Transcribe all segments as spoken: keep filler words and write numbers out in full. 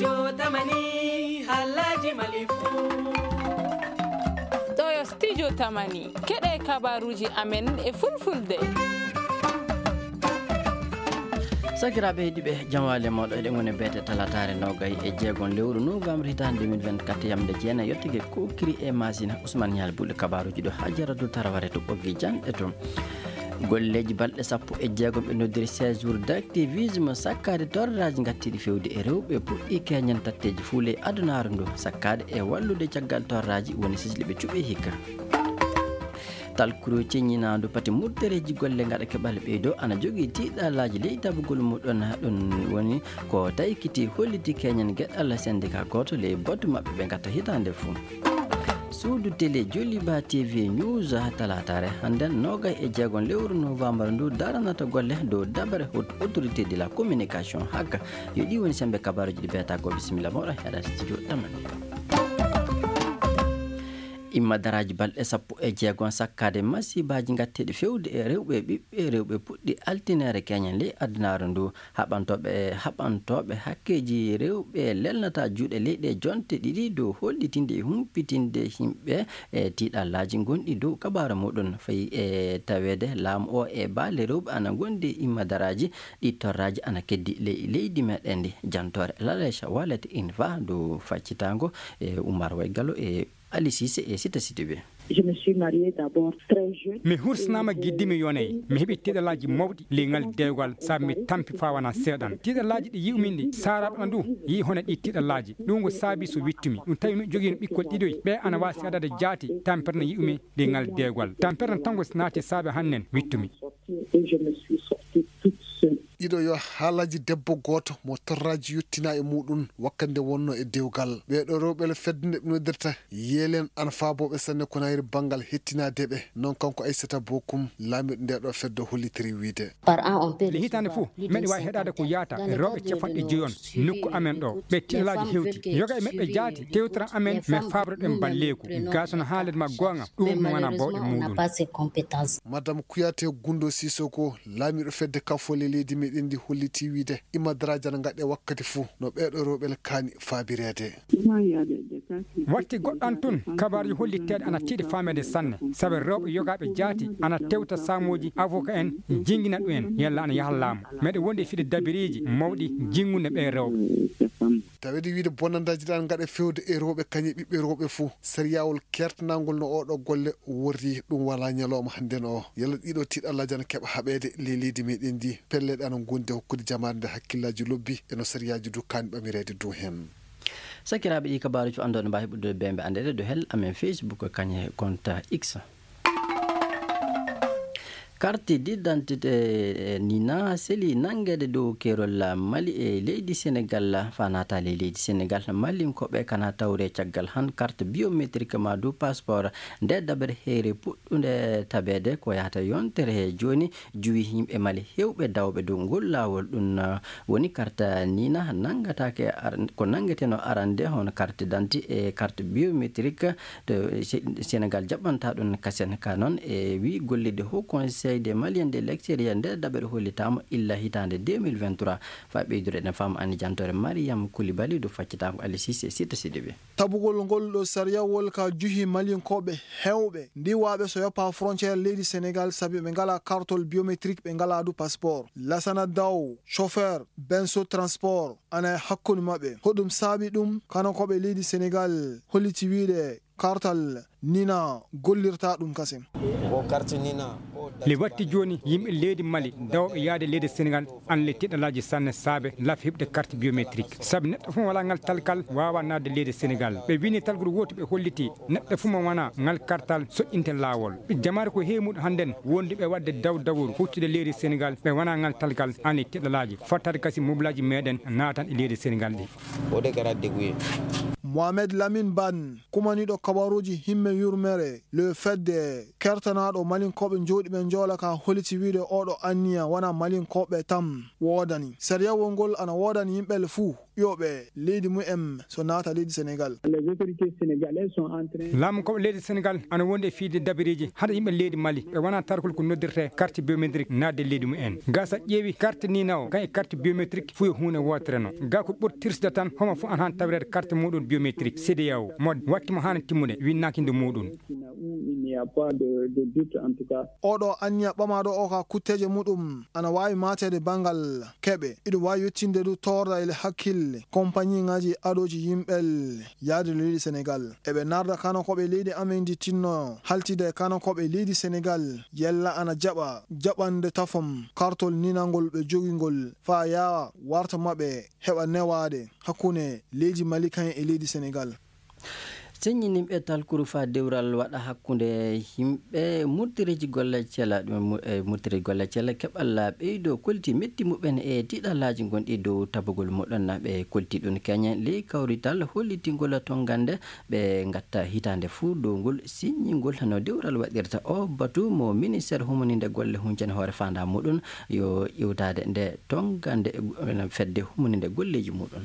Jotamani, Alhaji Malifu. Ɗo yo Studio Tamani. Keɗe kabaruji amen e fulfulde. Sakiraaɓe heɗiiɓe, jamaale mooɗo eɗen ngoni beete talataare nogay e jeegom lewru novembre hitaande deux mille vingt-quatre, yamde jeenayi yottike kokiri e masina Ousmane Nial Bulle. Kabaruji ɗo Hajaratu Taraware to ɓoggi janɗe to. Golleeji balɗe sappo e jeegom ɓe noddiri séjour d'activisme sakkaade torraaji ngattiiɗi fewde e rewɓe puɗɗi keñen tatteeji fuule e adunaaru ndu sakkaade e wallude caggal torraaji woni sisli ɓe cuɓe hikka. Talkuru ceññinaandu pati murtereeji golle ngaɗa keɓal ɓeydo ana jogii tiiɗalaaji ley tabugol muɗon ɗum woni ko taykiti holliti keñen geɗal syndicat gooto ley batu maɓɓe ɓe ngatta hitaande fuu. Suudu télé Joliba T V News talaataare hannden nogay e jeegom lewru novembre ndu daranata golle dow dabare haute autorité de la communication haka yo ɗi woni sembe kabaruji ɗi beeta ko bisimilla moɗo heɗa studio tamani. Imma daraaji balɗe sappo e jeegom sakkaade masiibaaji ngatteeɗi fewde e rewɓe e ɓiɓɓe rewɓe puɗɗi altineere keñen ley adunaaru ndu. Haɓantooɓe haɓantooɓe hakkeeji rewɓe lelnata juuɗe leyɗe jonte ɗiɗi dow hollitinde e humpitinde yimɓe e tiiɗallaaji ngonɗi dow kabaara muɗum fayi e taweede laamu o e baale rewɓe ana ngondi imma daraaji ɗi torraaji ana keddi ley leydi meɗen ndi. Jantoore Lalecha Wallet Inva dow faccitaango e Umar Waygalo e Ali Sise e Sita Sidibe. Je me suis mariée d'abord très jeune. Mi hursnaama giddi mi yonay. Mi heɓi tiiɗalaaji mawɗi ley ngal dewgal sabu mi tampi faa wanaa seeɗan. Tiiɗalaaji ɗi yi'umi ɗi saaraaɓe am du yi'i hono ɗi tiiɗalaaji. Ɗum ko saabi so wittumi. Ɗum tawi mi jogiino ɓikkol ɗiɗoy. Ɓe ana waawi seeɗade jaati tampere no yi'umi ley ngal dewgal. Tampere no tango naati saabe hannen wittumi. Et je me suis sortie toute seule. Ɗiɗo yo haalaaji debbo gooto mo torraaji yottinaa e muuɗum wakkati nde wonnoo e dewgal. Ɓee ɗoo rewɓe le fedde nde ɓe noddirta Yeelen ana faabooɓe sanne ko nayri banngal hettinaade ɓe. Noon kanko Aissata Bokum, laamiiɗo ndee ɗoo fedde hollitiri wiyde. Par an, on peut Le hitaande fof, meɗen waawi heɗaade ko yaata rewɓe capanɗe joyi on nokku amen ɗo. Ɓe tiiɗalaaji hewti. Yoga e maɓɓe jaati, tewtoran amen, mais faaboto ɗen balleeku. Gaa so no haalde ma goonga, ɗum no wona bawɗe muɗum. Madame Kouyaté Gundo Sissoko, laamiiɗo fedde Kafole leydi meɗen ndi hollitii wiyde, imma daraaji ana ngaɗe wakkati fof, no ɓee ɗoo rewɓe le kaani faabireede. Watti goɗɗan tun, kabaaruji hollitteeɗi ana tiiɗi faameede sanne, sabu rewɓe yogaaɓe jaati ana tewta saamooji avoka en, jingina ɗum en, yalla ana yaha laamu. Meɗe wondi e fiɗe dabiriiji mawɗi jingunde ɓee rewɓe. Taweede wiyde bonandaaji ɗi ana ngaɗa fewde e rewɓe kañe ɓiɓɓe rewɓe fof, sariyaawol kertanaangol no oo ɗoo golle worri, ɗum wala ñalawma hannden oo. Yalla ɗii ɗoo tiiɗallaaji ana keɓa haɓeede ley leydi meɗen ndi, pelleeɗe ana ngondi e hokkude jamaare nde hakkillaaji lobbi e no sariyaaji du kaani ɓamireede du heen. Sakiraaɓe, ɗii kabaaruji fof anndon mbaawi heɓude bembe anndeede dow hel amen Facebook kañe konta X. Carte d'identité nina seli nanngeede dow keerol Mali e leydi Senegal, faa naata ley leydi Senegal. Malinkooɓe kana tawre caggal han carte biométrique maa du passeport. Nde dabere heere puɗɗunde tabeede ko yahata yontere he jooni, juwi yimɓe Mali heewɓe dawɓe dow ngol laawol. Ɗum, uh, woni carte nina nanngataake ar-, ko nanngeteno arande hono carte d'identité e carte biométrique to Se-, Senegal jaɓɓanta ɗum kasen. Ka noon e wi gollirde Haut Conseil des Maliens de l'extérieur nde dabere hollitaama illa hitaande deux mille vingt-trois. Faa ɓeydude eɗen faama anni jantoore Mariam Koulibaly dow faccitaango Ali Cissé Sita Sidibé. Tabugol ngol ɗo sariyawol ka juhi Malinkooɓe heewɓe ndiwaaɓe so yoppa frontière leydi Senegal sabi ɓe ngalaa kartol biométrique, ɓe ngalaa du passeport. Lasana Daw, chauffeur Benso Transport, ana e hakkunde maɓɓe. Hoɗum saabi ɗum? Kano ko ɓe leydi Senegal holliti wiide kartal Nina gollirta ɗum kasen. Ko karti Nina. Le watti jooni yimɓe leydi Mali dawɓe yaade leydi Senegal an le tiɗalaaji sanne saabe laf heɓde carte biométrique. Sabi neɗɗo fof mo walaa ngal talkal waawaa naatde leydi Senegal. Ɓe wini talgol wooto ɓe holliti neɗɗo fof mo wanaa ngal kartal soƴƴinte laawol. Jamaare ko heemuɗo hannden wonduɓe waɗde daw dawru huccude leydi Senegal ɓe wanaa ngal talkal an le tiɗalaaji. Fottaade kasi mobilaaji meɗen naatan e leydi Senegal ɗi. O de kɛra degun ye. Mohamed Lamine Ban, kumaniiɗo kabaruuji himme yurmere le fedde kertanaaɗo Malinkooɓe jooɗiiɓe njoola ka holiti wiide oɗo anniya wona Malinkooɓe tan woodani. Sariyawol ngol ana woodani yimɓe le fuu. Ƴooɓe leydi mumen so naata leydi Senegal. Les autorités sénégalaises sont en train Laamu ko leydi Senegal ana wondi e fiyde dabareeji hade yimɓe leydi Mali ɓe wona tarkol ko noddirte carte biométrique naatde leydi mumen. Ga sa ƴeewi carte nina o kan e carte biométrique fuyo huunde wootere no. Ga ko ɓuri tirsde tan homo fof ana han tawreede carte muɗum biométrique C D A O mo watti mo hana timmude winnaaki nde muɗum. Qui n'a où il n'y a pas de, de doute en tout cas. Oɗo anniya ɓamaaɗo o ka kutteeje muɗum ana waawi maateede banngal keɓe. Iɗum waawi yettinde du toorda e hakkille kompaniŋaaji aɗooji yimɓel yaade leydi Senegal. Eɓe narda kanakooɓe leydi amen ndi tinno haltide kanakooɓe leydi Senegal yella ana jaɓa jaɓande tafom kartol ninangol ɓe jogingol faa yaawa warta maɓɓe heɓa newaade hakkunde leydi Mali kaŋ e leydi Senegal. Seññininɓe talkuru faa dewral waɗa hakkunde yimɓe murtireeji golle cela, ɗum mu-, e murtireeji golle cela keɓal ɓeydo kolti metti muɓɓen e tiɗalaaji gonɗi dow tabugol muɗon. Ɓe kolti ɗum keñen ley kawrital hollitingol tongande ɓe ngatta hitaande fuu dow ngol siññingol no dewral waɗirta. O batu mo ministeer humaninde golle huncane hoore faandaa muɗum yo iwtaade nde tongande fedde humaninde golleeji muɗum.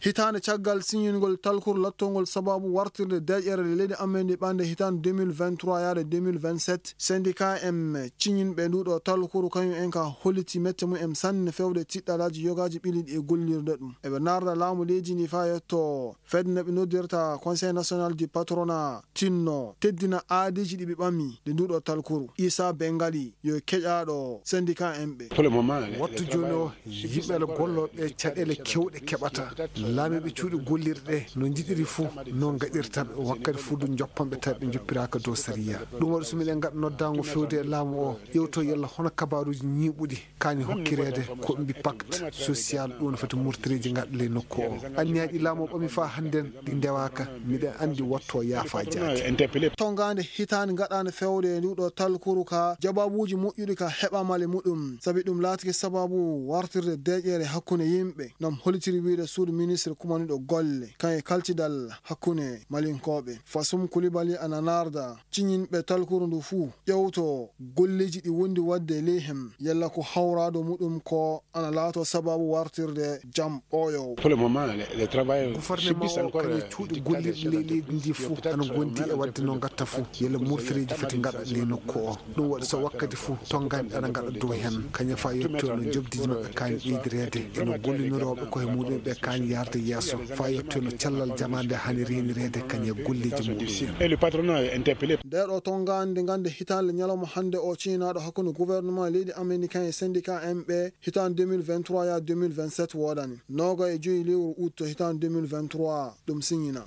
Hitaande caggal siñingol talkuru lattongol sababu wartirde deeƴere leydi amen ndi ɓande hitaande deux mille vingt-trois yaade deux mille vingt-sept, syndicat M ciñinɓe nduɗo talkuru kañum en ka holliti mette mum en sanne fewde tiɗɗalaaji yogaaji ɓiliɗi e gollirde ɗum. Eɓe narda laamu leydi ndi faa yetto fedde nde ɓe noddirta Conseil National du Patronat tinno teddina aadiiji ɗi ɓe ɓami nde nduɗo talkuru. Isa Bengali yo keƴaaɗo syndicat M ɓe. Pour le moment, le, le Wattu jooni o, yimɓe ana golloo ɓe caɗeele keewɗe keɓata. Laamiiɓe cuuɗi gollirɗe no njiɗiri fuu, no ngaɗirta ɓe. Wakkati fuu du njoppan ɓe tawi ɓe njoppiraaka dow sariya. Ɗum waɗi so miɗen ngaɗa noddaango fewde e laamu o, ƴeewto yalla hono kabaaruuji ñiiɓuɗi kaani hokkireede ko ɓe mbi pacte social, ɗum no foti murtireeji ngaɗa ley nokku o. Anniyaaji laamu o ɓami faa hannden ɗi ndewaaka, miɗen anndi watto yaafa jaati. Tongaande hitaande ngaɗaande fewde e nduɗo talkuru ka, jabaabuuji moƴƴuɗi ka heɓaama le muɗum, sabi ɗum laatike sababu wartirde deeƴere hakkunde yimɓe, no hollitiri wiyde suudu ministre kumaniiɗo golle, kan e kaltidal hakkunde Malinkooɓe. Fasum Kulibali ana narda, ciñinɓe talkuru ndu fuu, ƴewto golleeji ɗi wondi waɗde ley hem, yalla ko hawraado muɗum ko ana laato sababu wartirde jam ɓooyoowo. Pour le moment, les, les travailleurs Gouvernement subissent o encore, kañum euh, cuuɗi du gollirɗi ley leydi ndi fof ana gondi e waɗde no ngatta fof yalla murtireeji foti ngaɗa ley nokku o. Ɗum waɗi so wakkati fof tonngani ana ngaɗa dow heen. Kañum faa yetto no jobdiiji maɓɓe kaani ɓeydireede e no gollinirooɓe koye muɗum ɓe kaani yaarde yeeso faa yetto no cellal jamaande hani reenireede kañum e golleeji muɗum en. Et le patronat est interpellé. Nde ɗo tonngani nde ngannde hitaande ñalawma hannde o ciñinaaɗo hakkunde gouvernement leydi américain e syndicat M ɓe hitaande deux mille vingt-trois yaa deux mille vingt-sept woodani. Noogay e joyi lewru ut hitaande deux mille vingt-trois ɗum siñina.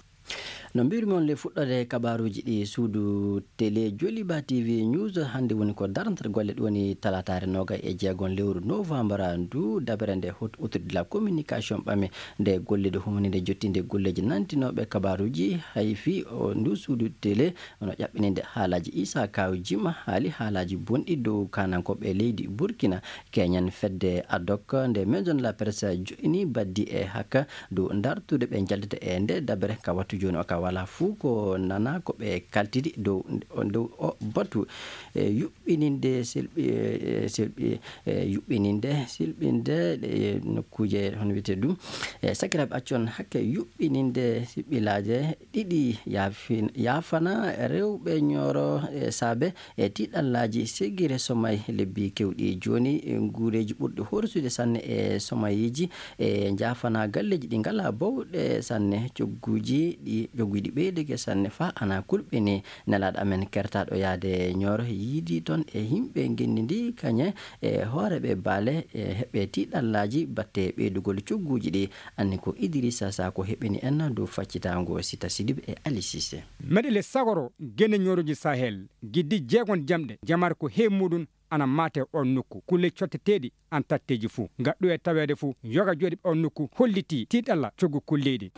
No mbiyru-mi on le fuɗɗoode kabaaruuji ɗi suudu télé Joliba T V News hannde woni ko darnata golle ɗum woni talataare noogay e jeegom lewru novembre ndu dabere nde haute autorité de la communication ɓame nde gollude humaninde jottinde golleeji nantinooɓe kabaaruuji hay fii o ndu suudu télé no ƴaɓɓininde haalaaji Isa Kaw Jima haali haalaaji bonɗi dow kaanankooɓe leydi Burkina. Keñen fedde adok nde Maison de la Presse joini baddi e hakka dow dartude ɓe njaldata e nde dabere ka wattu jooni o ka wala fuu ko nana ko ɓe kaltidi dow, dow o batu. E yuɓɓininde selɓi, e selɓi, e yuɓɓininde selɓinde e nokkuuje hono wiyetee ɗum. E sakiraaɓe accon hakke yuɓɓininde siɓɓilaaje ɗiɗi yaafin-, yaafana rewɓe ñooro e saabe e tiiɗallaaji segire somay lebbi kewɗi. Jooni, e nguureeji ɓurɗi horsude sanne e somayeeji e njaafana galleeji ɗi ngalaa bowɗe sanne. Cogguuji ɗi, cogguuji ɗi ɓeydike sanne faa ana kulɓini. Nelaaɗo amen kertaaɗo yaade ñooro yiidi toon e yimɓe ngenndi ndi kañe e hooreeɓe baale e heɓe tiiɗallaaji batte ɓeydugol cogguuji ɗi. Anni ko Idrissa Sako heɓini en dow faccitaango Sita Sidibe e Ali Cissé. Meɗele sagoro gene ñooroji Sahel, giddi jeegon jamɗe, jamar ko he muɗum ana maate on nokku. Kulle cotteteeɗi an tatteeji fuu. Ngaɗɗu e taweede fuu, yoga jooɗi on nokku hollitii tiiɗalla coggu kulleeɗi.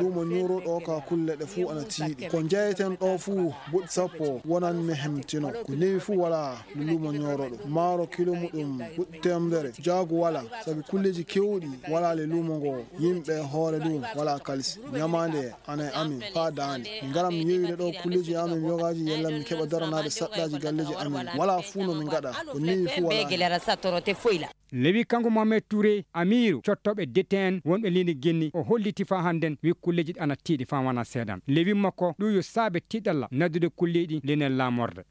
Luumo ñuuruɗo ka kulle ɗe fuu ana tiiɗi. Ko jeyeten ɗo fuu buɗ sappo wonan me hem tino. Ko newi fuu wala luumo ñooroɗo. Maaro kilo muɗum buɗ temedere. Jaagu wala, sabi kulleeji kewɗi wala le luumo ngo. Yimɓe hoore ɗum wala kalisi. Ñamaande ana e amin faa daande. Min ngaran mi yewire ɗo kulleeji amin yogaaji yalla min keɓa daranaade saɗɗaaji galleeji amin. Wala fuu no min ngaɗa. Ko newi fuu wala. Lewi kanko Mohamed Touré, amiiru cottooɓe D T N wonɓe leydi Guinée, o holliti faa hannden wi kulleeji ɗi ana tiiɗi faa wona seeɗan. Lewi makko ɗum yo saabe tiiɗalla naddude kulleeɗi leyɗe laamorde.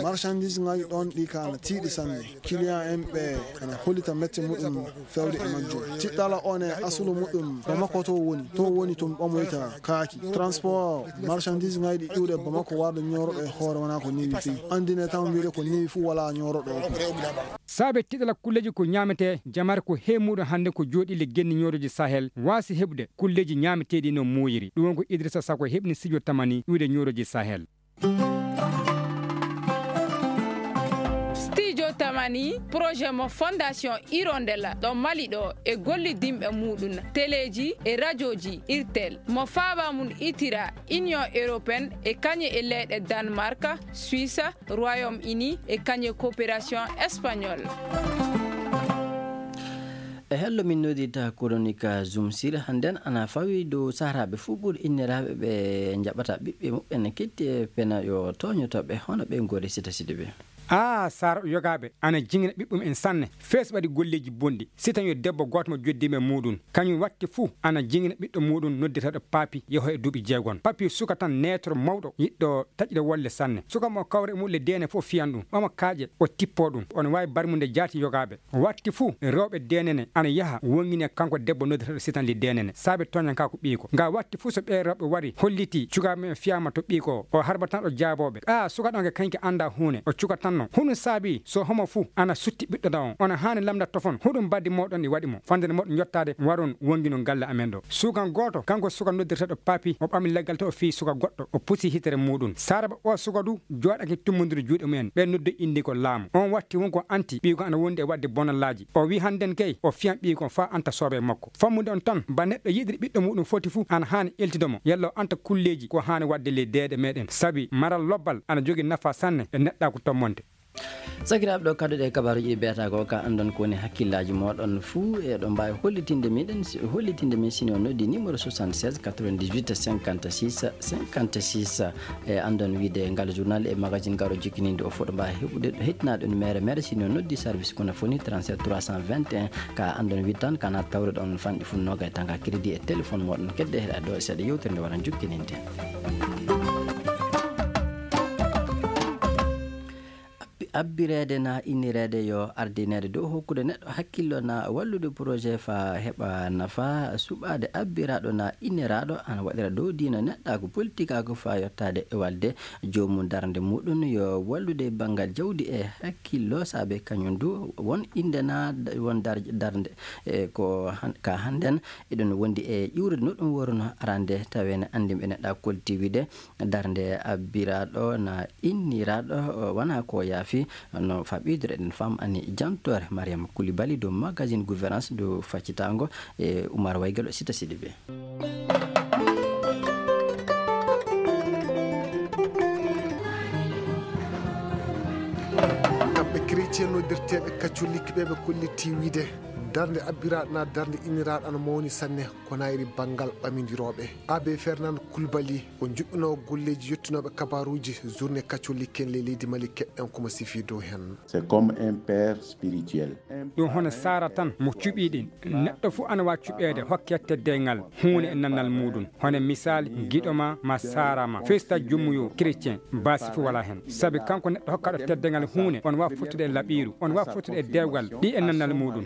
Marchandise ngaji ɗon ɗi ka ana tiiɗi sanne. Client en ɓe ana hollita mette muɗum fewde e majjum. Tiɗɗala on e asulu muɗum Bamako to woni. To woni to ɓamoyta kaaki. Transport marchandise ngaji ɗi iwde Bamako warde ñooroɗo e hoore wona ko newi fii. Andine tan wiide ko newi fuu wala ñooroɗo. Saabe tiɗɗala kulleeji ko ñaamete jamare ko he muɗum hannde ko jooɗi le genni ñooroji Sahel waasi heɓude kulleeji ñaameteeɗi no muuyiri. Ɗum won ko Idrissa Sako heɓni studio Tamani iwde ñooroji Sahel. Studio Tamani, projet mo Fondation Hirondelle ɗo Mali ɗo e gollidinɓe muɗum, teleeji e rajooji, irtel, mo faaba mum itira Union Européenne e kañe e leyɗe Danemark, Suisse, Royaume-Uni e kañe coopération espagnole. E hello min noddirta koronika Zoom Sir hannden ana fawi dow saharaaɓe fuu ɓuri inniraaɓe ɓe njaɓata ɓiɓɓe muɓɓen ketti e pena yo tooñoto ɓe hono ɓe ngori sita sidi ɓe. Aa, Saara yogaaɓe ana jingina ɓiɓɓe mum en sanne. Fees waɗi golleeji bonɗi. Si tan yo debbo gooto mo joddii e muɗum. Kañum watti fuu ana jingina ɓiɗɗo muɗum noddirteeɗo Papi yaho e duuɓi jeegon. Papi suka tan neetoro mawɗo yiɗɗo taƴde wolle sanne. Suka mo kawre mum le deene fof fiyan ɗum. Omo kaaƴe o tippo ɗum. Ono waawi barmude jaati yogaaɓe. Watti fuu rewɓe deenene ana yaha wongini e kanko debbo noddirteeɗo Sitan Li Deenene saabe tooñanka ko ɓiiko. Nga watti fuu so ɓee rewɓe wari holliti cukaaɓe men fiyaama to ɓiiko o harba tan ɗo jaabooɓe. Aa, suka ɗon ke kañke annda huune o cukatanno. Huɗum saabi so homo fuu ana sutti ɓiɗɗo na on. Ona haani lamda tofon huɗum baddi mooɗon ɗi waɗi mo. Fandene mooɗon yottaade waron wongino galle amen ɗo. Sukan gooto kanko suka noddirteeɗo Papi o ɓami leggal to o fii suka goɗɗo o pusi hitere muɗum. Saara ɓe o suka du jooɗake tummbondiru juuɗe mumen, ɓe noddi indi ko laamu. On watti won ko anti ɓiiko ana wondi e waɗde bonallaaji. O wi hannden kay o fiyan ɓiiko faa anta soobee makko. Fammude on tan ba neɗɗo yiɗiri ɓiɗɗo muɗum foti fuu ana haani eltude mo yalla o anta kulleeji ko haani waɗde ley deeɗe meɗen. Sabi maral lobbal ana jogi nafa sanne e neɗɗaaku tommonte. Sakiraaɓe ɗo kadduɗe e kabaruuji ɗi biyata ko ka anndon ko woni hakkillaaji mooɗon fuu eɗo mbaawi hollitinde miɗen hollitinde min sino noddi numéro soixante-seize quatre-vingt-dix-huit cinquante-six cinquante-six. E anndon wiide ngal journal e magazine garo jikkininde o fof ɗo mbaawi heɓude ɗo hettinaɗo numéro mere sino noddi service kono foni trente-sept trois cent vingt et un. Ka anndon wiide tan kana tawre ɗon fanɗi fuu noga e tanga crédit e téléphone mooɗon kedde heɗa ɗo e seeɗa yewtere nde waran jukkininde. Abbi- abbireede na innireede yo ardineede dow hokkude neɗɗo hakkillo na wallude projet fa heɓa nafa suɓaade abbiraaɗo na inniraaɗo ana waɗira dow diina neɗɗaagu politikaagu fa yottaade e walde joomum darnde muɗum yo wallude banngal jawdi e hakkillo saabe kañum du won innde na won dar- darnde e ko han- ka hannden eɗen wondi e ƴuwrude no ɗum woruno arande taweene anndinɓe neɗɗaagu kolti wiide darnde abbiraaɗo na inniraaɗo wona ko yaafi no faɓidore eɗen fam ani jantoore Mariama Koulibaly dow magazine gouvernance dow faccitaango e Oumar Waygalo sita siɗi ɓe. Kamɓe chrétien noddirteeɓe katolik ɓe ɓe kollitti wiide darnde abbiraaɗo na darnde inniraaɗo ana mawni sanne. Konayri banngal ɓamindirooɓe abbé Fernand Koulibaly o juɓɓinoo golleeji yottinooɓe kabaruuji journée catholique en ley leydi Mali keɗɗen ko mo sifii dow heen. C'est comme un père spirituel. Ɗum hono saara tan mo cuɓiiɗen. Neɗɗo fof ana waawi cuɓeede hokke teddeengal huunde e nannal muuɗum. Hono misaali giɗo ma ma saara ma festa jummuyo chrétien baasi fof walaa heen. Sabi kanko neɗɗo hokkaaɗo teddeengal huunde on waawi fottude e laɓiiru on waawi fottude e dewgal ɗi e nannal muuɗum.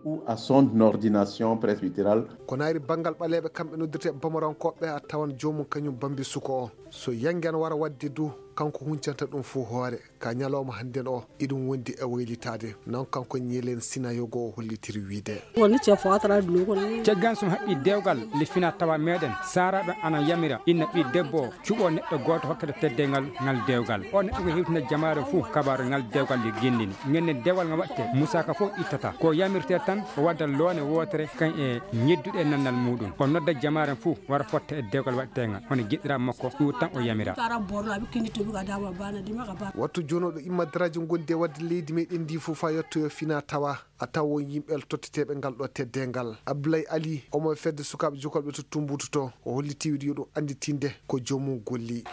Ou à son ordination presbytérale. Ko naayri banngal ɓaleeɓe kamɓe noddirtee bamarankooɓe a tawan joomum kañum bambi suko o so yangi ana wara waɗde du kanko huncanta ɗum fof hoore ka ñalawma hannden o iɗum wondi e waylitaade non kanko ñelen sinayogo o hollitiri wiide. Woni ce fotara duno ko ni. Caggan sum haɓɓi dewgal le fina tawa meɗen saraɓe ana yamira inna ɓi debbo o cuɓo neɗɗo goto hokkata teddeygal ngal dewgal o neɗɗo ko hewtina jamaare fof kabaru ngal dewgal yo gindini ngenne dewgal nga watte musaka fof ittata ko yamirte tan o wadda loone wotere kan e ñedduɗe nannal muɗum o nodda jamaare fof wara fotta e dewgal waɗtegal hono giɗɗiraɓe makko ɗum tan o yamira. Wattu jonoɗo imma daraja gondi e wadde leydi meɗen ndi fof fa yettoyo fina tawa. a tawa won yimɓe totteteeɓe ngal ɗo teddeengal. Abdoulaye Ali, omo e fedde sukaaɓe jokolɓe to Tumbutu to, o holliti wiide yo ɗum annditinde ko joomum golli.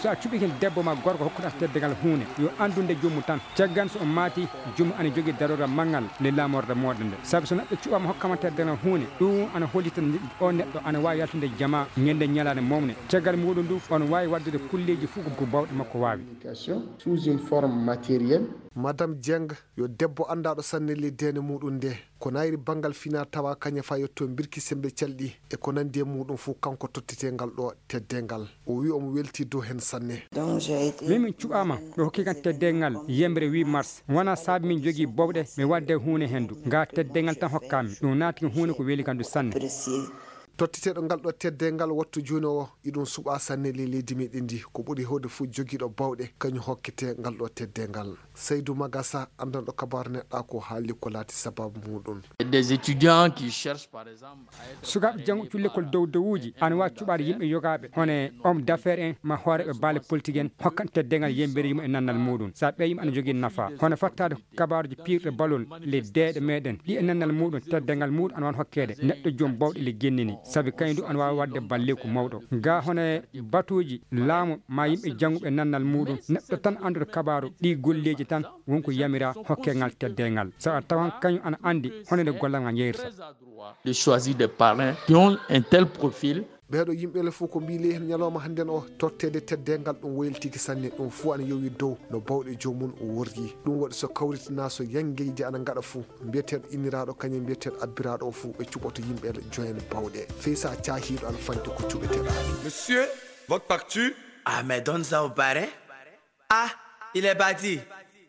So a cuɓike debbo ma gorko hokkuɗa teddeengal huunde, yo anndunde joomum tan. Caggal so o maati, joomum ana jogii daroora manngal nde laamorde mooɗon nde. Sabi so neɗɗo cuɓaama hokkama teddeengal huunde, ɗum ana hollita nde o neɗɗo ana waawi yaltude jama ñande ñalaande mawne. Caggal muuɗum ndu, on waawi waɗdude kulleeji fof ko bawɗe makko waawi. Madame Dieng, yo debbo anndaaɗo sanne ley deene muuɗum nde, ko nayri banngal fina tawa kaña fa yetto mbirki semmbe calɗi e ko nanndi e muuɗum fof, kanko tottetee ngal ɗo teddeengal. O wi omo welti dow heen sanne. Min min cuɓaama, ɓe hokki kan teddeengal yembre huit mars. Wona saabi min jogii bawɗe mi waɗde huunde heen du. Ngaa teddeengal tan hokkaami. Ɗum naati ko huunde ko weli kan du sanne. Totteteeɗo ngal ɗo teddeengal wattu jooni o, iɗum suɓaa sanne ley leydi meɗen ndi. Ko ɓuri heewde fof jogiiɗo bawɗe, kañum hokkete ngal ɗo teddeengal. Saydou Magassa, anndanɗo kabaaru neɗɗa ko haalli ko laati sababu muuɗum. Des étudiants qui cherchent par exemple à être... Sukaaɓe jannguɓe lekkol dow dowuuji ana waawi cuɓaade yimɓe yogaaɓe, hono e homme d'affaires en, ma hooreeɓe baale politique en, hokkan teddeengal yembere yimo e nannal muuɗum. So a ɓeyi yimɓe ana jogii nafa, hono fattaade kabaaruji piirɗe balol le deeɗe meɗen, ɗi e nannal muuɗum, teddeengal muuɗum ana waawi hokkeede neɗɗo joom bawɗe le gennini, sabi kañum du ana waawi waɗde balleeku mawɗo. Ga hono e batuuji laamu ma yimɓe jannguɓe nannal muuɗum, neɗɗo tan annduɗo kabaaru ɗi golleeji tan won ko yamira hokke ngal teddeengal. So a tawan kañum ana anndi hono nde gollal ngal yeyrta. De choisir des parrains qui ont un tel profil. Ɓeeɗo yimɓe le fof ko mbii ley heen ñalawma hannden o, totteede teddeengal ɗum woyli tigi sanne, ɗum fof ana yowi dow no bawɗe joomum worri. Ɗum waɗi so kawritinaa, so yangeyje ana ngaɗa fof, mbiyeteeɗo inniraaɗo kañum mbiyeteeɗo abbiraaɗo o fof, ɓe cuɓoto yimɓe le joyen bawɗe. Fey so a caahiiɗo ana fanti ko cuɓeteɗaa. Monsieur, votre facture. Ah, mais donne ça au parrain. Ah, il est parti.